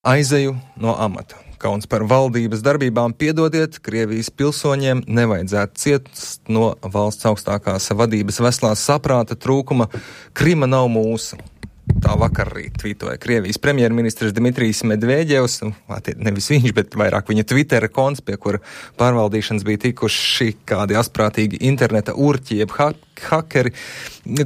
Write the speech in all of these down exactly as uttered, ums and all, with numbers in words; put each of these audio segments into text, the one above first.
Aizeju no amata. Kauns par valdības darbībām. Piedodiet, Krievijas pilsoņiem nevajadzētu ciest no valsts augstākās vadības veselās saprāta trūkuma. Krima nav mūsu. Tā vakar arī tvītoja Krievijas premjerministrs Dmitrijs Medvedjevs, nevis viņš, bet vairāk viņa Twittera konts, pie kura pārvaldīšanas bija tikuši kādi asprātīgi interneta urķi, jeb ha- hakeri.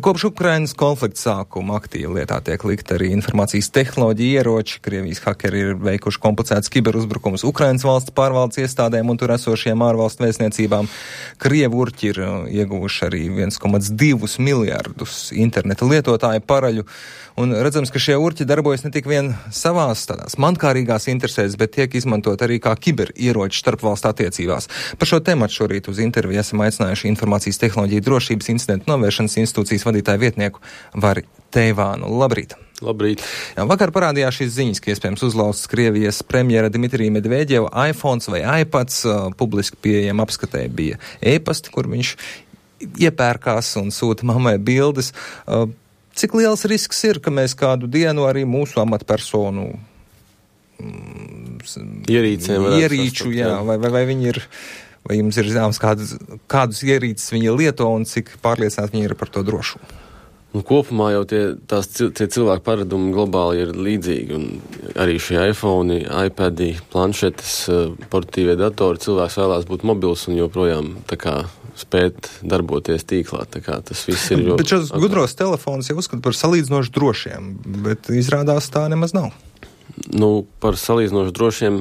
Kopš Ukrainas konflikta sākuma aktīvi lietā tiek likt arī informācijas tehnoloģija ieroči. Krievijas hakeri ir veikuši komplicētas kiberuzbrukumus Ukrainas valsts pārvaldes iestādēm un tur esošiem ārvalstu vēstniecībām. Krievu urķi ir ieguvuši arī viens komats divi miljardus interneta lietotāju paraļu. Un redzams, ka šie urķi darbojas ne tik vien savās tādās mankārīgās interesēs, bet tiek izmantot arī kā kiberieroči starpvalstu attiecībās. Par šo tematu šorīt uz interviju esam aicinājuši informācijas tehnoloģiju drošības incidentu novēršanas institūcijas vadītāju vietnieku Vari Teivānu. Labrīt! Labrīt! Jā, vakar parādījās šīs ziņas, ka iespējams uzlausts Krievijas premjera Dmitrija Medvedjeva iPhones vai iPads. Uh, publiski pieejam apskatē bija e-pasti, kur viņš iepērkās un sūta mammai bildes. Uh, Cik liels risks ir, ka mēs kādu dienu arī mūsu amatpersonu ierīcēm ierīču, jā, vai, vai, vai viņi ir, vai jums ir zināms, kādus, kādus ierīces viņi lieto un cik pārliecināti viņi ir par to drošu? Un kopumā jau tie, tās, tie cilvēku paradumi globāli ir līdzīgi, un arī šie iPhone, iPadi, planšetes, portatīvie datori, cilvēks vēlās būt mobils un joprojām tā kā spēt darboties tīklā, tā kā tas viss ir ļoti... Bet šos gudros telefonus jau uzskata par salīdzinoši drošiem, bet izrādās tā nemaz nav. Nu, par salīdzinoši drošiem,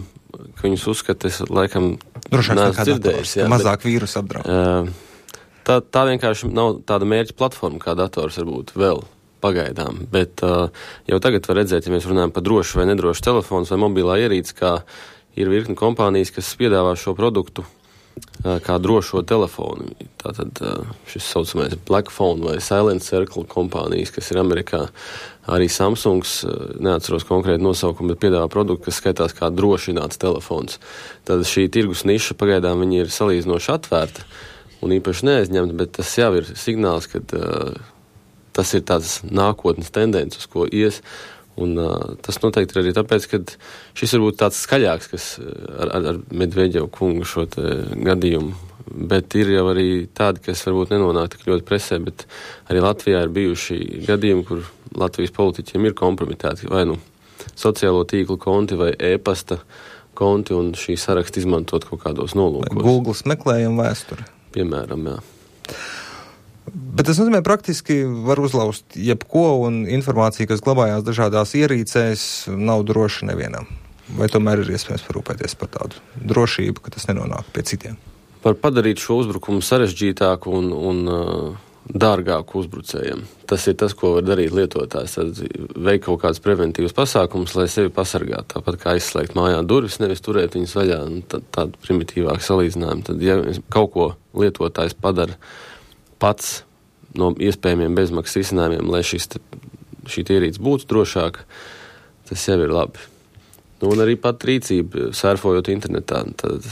ka viņus uzskata, es laikam neesmu dzirdējis. Jā, mazāk vīrusu apdraud. Uh, tā, tā vienkārši nav tāda mērķa platforma, kā dators varbūt vēl pagaidām, bet uh, jau tagad var redzēt, ja mēs runājam par drošu vai nedrošu telefons vai mobilā ierīci, kā ir virkni kompānijas, kas piedāvā šo produktu kā drošo telefonu. Tātad šis saucamais Black Phone vai Silent Circle kompānijas, kas ir Amerikā, arī Samsungs, neatceros konkrēti nosaukumu, bet piedāvā produktu, kas skaitās kā drošināts telefons. Tad šī tirgus niša pagaidām viņi ir salīdzinoši atvērta un īpaši neaizņemta, bet tas jau ir signāls, ka uh, tas ir tāds nākotnes tendence, uz ko ies. Un uh, tas noteikti ir arī tāpēc, ka šis varbūt tāds skaļāks, kas ar, ar, ar Medvedjevu kungu šo te gadījumu, bet ir jau arī tādi, kas varbūt nenonāk tik ļoti presē, bet arī Latvijā ir bijuši gadījumi, kur Latvijas politiķiem ir kompromitēti vai nu sociālo tīklu konti vai e-pasta konti un šī saraksta izmantot kaut kādos nolūkos. Google meklējuma vēsture. Piemēram, jā. Bet tas nozīmē, praktiski var uzlauzt jebko, un informācija, kas glabājās dažādās ierīcēs, nav droša nevienam. Vai tomēr ir iespējams parūpēties par tādu drošību, ka tas nenonāk pie citiem? Var padarīt šo uzbrukumu sarežģītāku un, un uh, dārgāku uzbrucējiem. Tas ir tas, ko var darīt lietotājs. Tad veikt kaut kādus preventīvus pasākumus, lai sevi pasargātu. Tāpat kā aizslēgt mājā durvis, nevis turēt viņas vaļā. Tādu primitīvāku salīdzinājumu. Tad, ja kaut ko lietotājs padara pats no iespējamiem bezmaksas risinājumiem, lai šis, šī ierīce būtu drošāka, tas jau ir labi. Nu, un arī pat rīcība, surfojot internetā, tad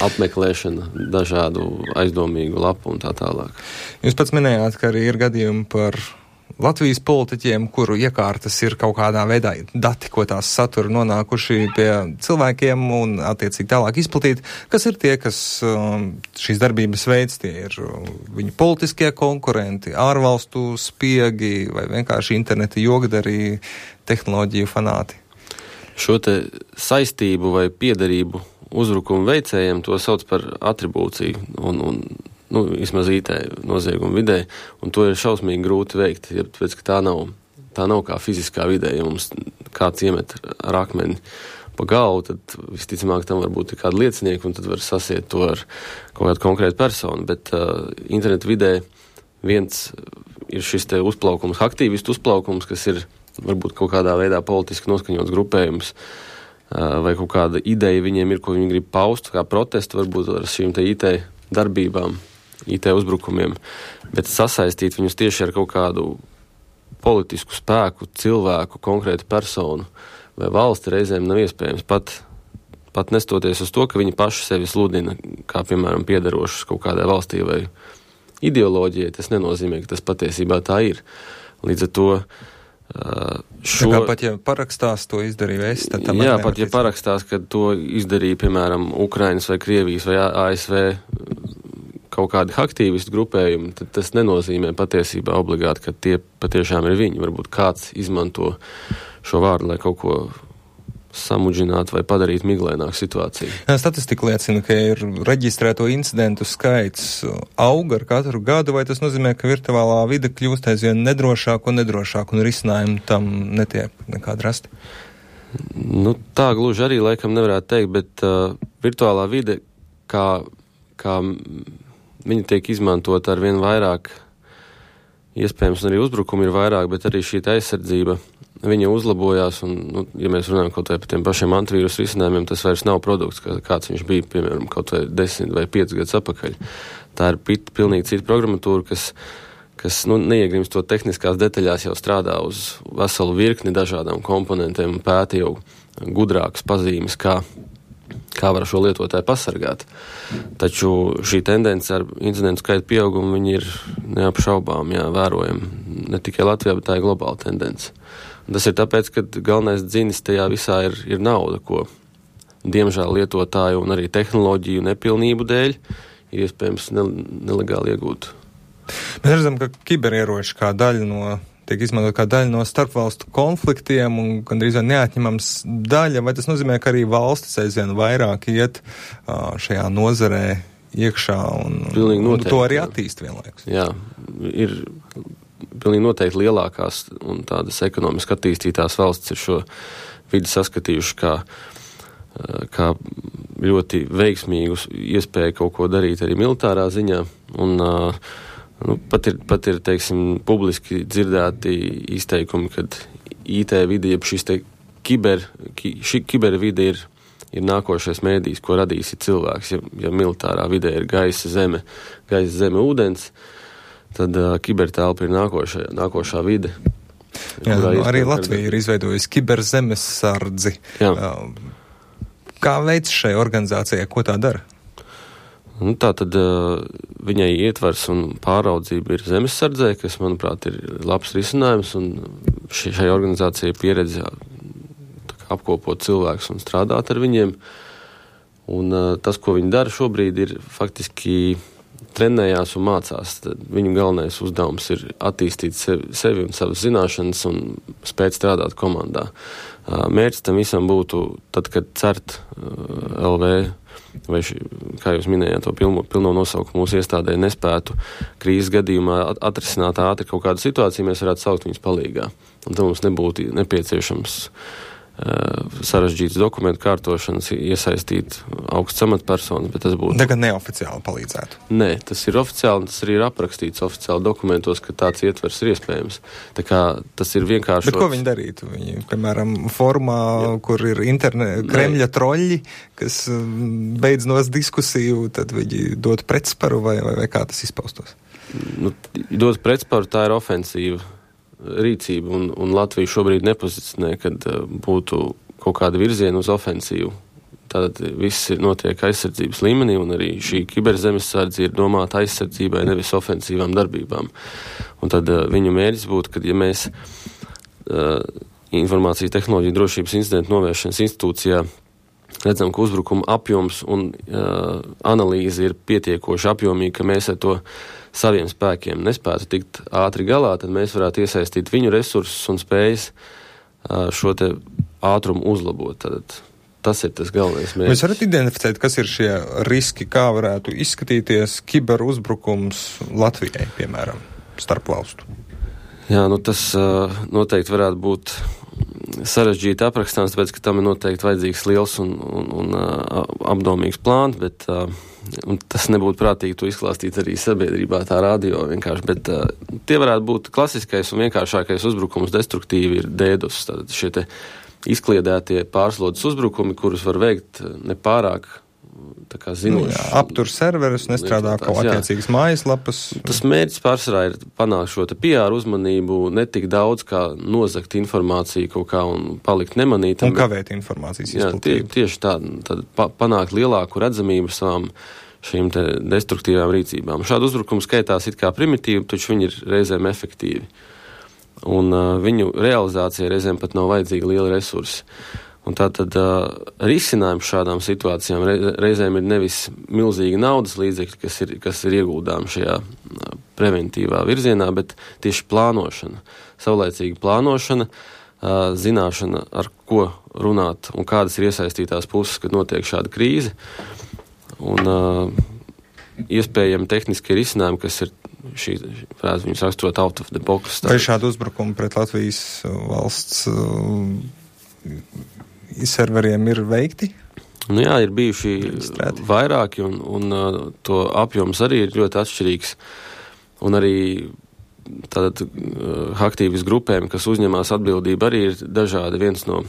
apmeklēšana dažādu aizdomīgu lapu un tā tālāk. Jūs pats minējāt, ka arī ir gadījumi par Latvijas politiķiem, kuru iekārtas ir kaut kādā veidā dati, ko tās satura nonākuši pie cilvēkiem un attiecīgi tālāk izplatīti. Kas ir tie, kas šīs darbības veids? Tie ir viņu politiskie konkurenti, ārvalstu spiegi vai vienkārši interneta jogadari, tehnoloģiju fanāti? Šo te saistību vai piederību uzbrukumu veicējiem to sauc par atribūciju un, un nu, vismaz I T noziegumu vidē, un to ir šausmīgi grūti veikt, ja tāpēc, ka tā nav, tā nav kā fiziskā vidē, ja mums kāds iemet ar akmeni pa galvu, tad visticamāk tam var būt kāda liecinieka, un tad var sasiet to ar kaut kādu konkrētu personu, bet uh, internetu vidē viens ir šis te uzplaukums, aktīvistu uzplaukums, kas ir varbūt kaut kādā veidā politiski noskaņots grupējums, uh, vai kaut kāda ideja viņiem ir, ko viņi grib paust, kā protestu varbūt ar šīm te I T darbībām, I T uzbrukumiem, bet sasaistīt viņus tieši ar kaut kādu politisku spēku, cilvēku, konkrētu personu vai valsti reizēm nav iespējams. Pat, pat nestoties uz to, ka viņi paši sevi sludina, kā piemēram piederošus kaut kādai valstī vai ideoloģijai, tas nenozīmē, ka tas patiesībā tā ir. Līdz ar to Uh, šo... Tā kā pat, ja parakstās, to izdarīju es, tad tam jā, pat, ja parakstās, kad to izdarīja, piemēram, Ukrainas vai Krievijas vai A S V kaut kādi aktīvistu grupējumi, tad tas nenozīmē patiesībā obligāti, ka tie patiešām ir viņi. Varbūt kāds izmanto šo vārdu, lai kaut ko samudžinātu vai padarītu miglaināku situāciju. Statistika liecina, ka ir reģistrēto incidentu skaits aug ar katru gadu, vai tas nozīmē, ka virtuālā vide kļūst aizvien nedrošāk un nedrošāk un risinājumi tam netiek nekādi rasti? Nu, tā gluži arī laikam nevarētu teikt, bet uh, virtuālā vide, kā, kā viņa tiek izmantot ar vien vairāk, iespējams, un arī uzbrukumi ir vairāk, bet arī šī aizsardzība, viņa uzlabojās, un, nu, ja mēs runājam kaut vai par tiem pašiem antivīrus risinājumiem, tas vairs nav produkts, kā, kāds viņš bija, piemēram, kaut vai desmit vai piecus gadus atpakaļ. Tā ir pit, pilnīgi cita programmatūra, kas, kas nu, neiegrimst to tehniskās detaļās, jau strādā uz veselu virkni dažādām komponentiem un pēta jau gudrākas pazīmes, kā kā var šo lietotāju pasargāt. Taču šī tendence ar incidentu skaitu pieaugumu, viņi ir neapšaubām, jā, vērojami. Ne tikai Latvijā, bet tā ir globāla tendence. Un tas ir tāpēc, ka galvenais dzinis tajā visā ir, ir nauda, ko diemžēl lietotāju un arī tehnoloģiju nepilnību dēļ ir iespējams ne, nelegāli iegūt. Mēs redzam, ka kiberieroči kā daļa no tiek izmantot kā daļa no starpvalstu konfliktiem un gandrīz neatņemams daļa, vai tas nozīmē, ka arī valstis aizvien vairāk iet uh, šajā nozarē iekšā un, un to arī attīst vienlaikus? Jā, ir pilnīgi noteikti lielākās un tādas ekonomiski attīstītās valstis ir šo vidi saskatījuši kā, kā ļoti veiksmīgu iespēju kaut ko darīt arī militārā ziņā, un uh, Nu, pat ir, pat ir, teiksim, publiski dzirdēti izteikumi, kad I T vide, jeb šis te kiber, ki, šī kibervide ir, ir nākošais mēdījis, ko radīs cilvēks. Ja, ja militārā vidē ir gaisa, zeme, gaisa, zeme, ūdens, tad uh, kibertelpa ir nākošā, nākošā vide. Jā, nu, arī Latvija ir izveidojusi kiberzemessardzi. Uh, kā veids šai organizācijai, ko tā dara? Nu, tā tad uh, viņai ietvars un pāraudzība ir zemessardzē, kas, manuprāt, ir labs risinājums, un šī, šai organizācijai pieredze apkopot cilvēkus un strādāt ar viņiem. Un uh, tas, ko viņi dara šobrīd, ir faktiski trenējās un mācās. Tad viņu galvenais uzdevums ir attīstīt sevi, sevi un savas zināšanas un spēt strādāt komandā. Uh, mērķis tam visam būtu, tad, kad CERT uh, L V vai, ši, kā jūs minējāt, to pilno, pilno nosaukumu mūsu iestādē nespētu krīzes gadījumā atrisināt ātri kaut kādu situāciju, mēs varētu saukt viņus palīgā. Un tad mums nebūtu nepieciešams uh, sarežģīts dokumentu kārtošanas, iesaistīt augsts amatpersonas, bet tas būtu... Tagad neoficiāli palīdzētu. Nē, tas ir oficiāli, tas arī ir aprakstīts oficiāli dokumentos, ka tāds ietvers ir iespējams. Tā kā tas ir vienkārši... Bet ko viņi darītu? Viņi, piemēram, formā, Jā. kur ir interne... Kremļa troļļi, kas beidz nos diskusiju, tad viņi dod pretsparu vai, vai, vai kā tas izpaustos? Nu, dod pretsparu, tā ir ofensīva rīcība, un, un Latvija šobrīd nepozicionē, kad uh, būtu kaut kāda virziena uz ofensīvu. Tātad viss notiek aizsardzības līmenī, un arī šī kiberzemessardze ir domāta aizsardzībai, nevis ofensīvām darbībām. Un tad uh, viņu mērķis būtu, kad ja mēs uh, informācijas tehnoloģiju drošības incidentu novēršanas institūcijā redzam, ka uzbrukuma apjoms un uh, analīze ir pietiekoši apjomīga, ka mēs ar to saviem spēkiem nespētu tikt ātri galā, tad mēs varētu iesaistīt viņu resursus un spējas uh, šo te ātrumu uzlabot. Tad tas ir tas galvenais mērķis. Mēs varat identificēt, kas ir šie riski, kā varētu izskatīties kiberuzbrukums Latvijai, piemēram, starp valstu? Jā, nu tas uh, noteikti varētu būt sarežģīti aprakstāms, tāpēc, ka tam ir noteikti vajadzīgs liels un, un, un uh, apdomīgs plāns, bet uh, un tas nebūtu prātīgi to izklāstīt arī sabiedrībā, tā radio vienkārši, bet uh, tie varētu būt klasiskais un vienkāršākais uzbrukums destruktīvi ir dēdus, tātad šie te izkliedētie pārslodzes uzbrukumi, kurus var veikt nepārāk tā kā zinoši. Jā, aptur serverus, nestrādā kaut attiecīgas mājaslapas. Tas mērķis pārsvarā ir panākt šo te P R uzmanību, ne tik daudz kā nozagt informāciju kaut kā un palikt nemanītam. Un kavēt informācijas izplatību. Tie, tieši tā, tad pa, panākt lielāku redzamību savām šīm te destruktīvām rīcībām. Šādu uzbrukumu skaitās it kā primitīvi, taču viņi ir reizēm efektīvi. un uh, viņu realizācija reizēm pat nav vajadzīga liela resursi. Un tātad uh, risinājums šādām situācijām reizēm ir nevis milzīgi naudas līdzekļi, kas ir, kas ir ieguldām šajā uh, preventīvā virzienā, bet tieši plānošana, saulaicīga plānošana, uh, zināšana, ar ko runāt un kādas ir iesaistītās puses, kad notiek šāda krīze. Un uh, iespējami tehniskie risinājumi, kas ir šī frāze, viņus raksturot out of the box. Vai šādu uzbrukumu pret Latvijas valsts uh, serveriem ir veikti? Nu jā, ir bijuši Strēti. vairāki, un, un uh, to apjoms arī ir ļoti atšķirīgs. Un arī tātad uh, aktīvis grupēm, kas uzņemās atbildību, arī ir dažādi. Viens no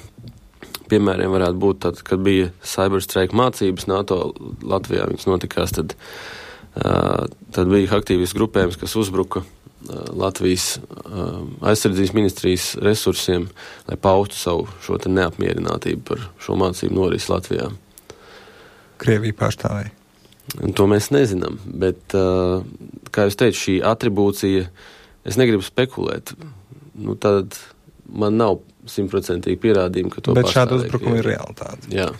piemēriem varētu būt tad, kad bija cyberstrike mācības NATO Latvijā, viņas notikās, tad, uh, tad bija aktīvis grupējums, kas uzbruka uh, Latvijas uh, aizsardzības ministrijas resursiem, lai paustu savu šo te neapmierinātību par šo mācību norisi Latvijā. Krievija pārstāvēja. Un to mēs nezinām, bet, uh, kā jūs teicu, šī atribūcija, es negribu spekulēt, nu tad man nav simtprocentīgi pierādījumi, ka to bet šāda pastāvēja. uzbrukuma ir realitāte. Jā.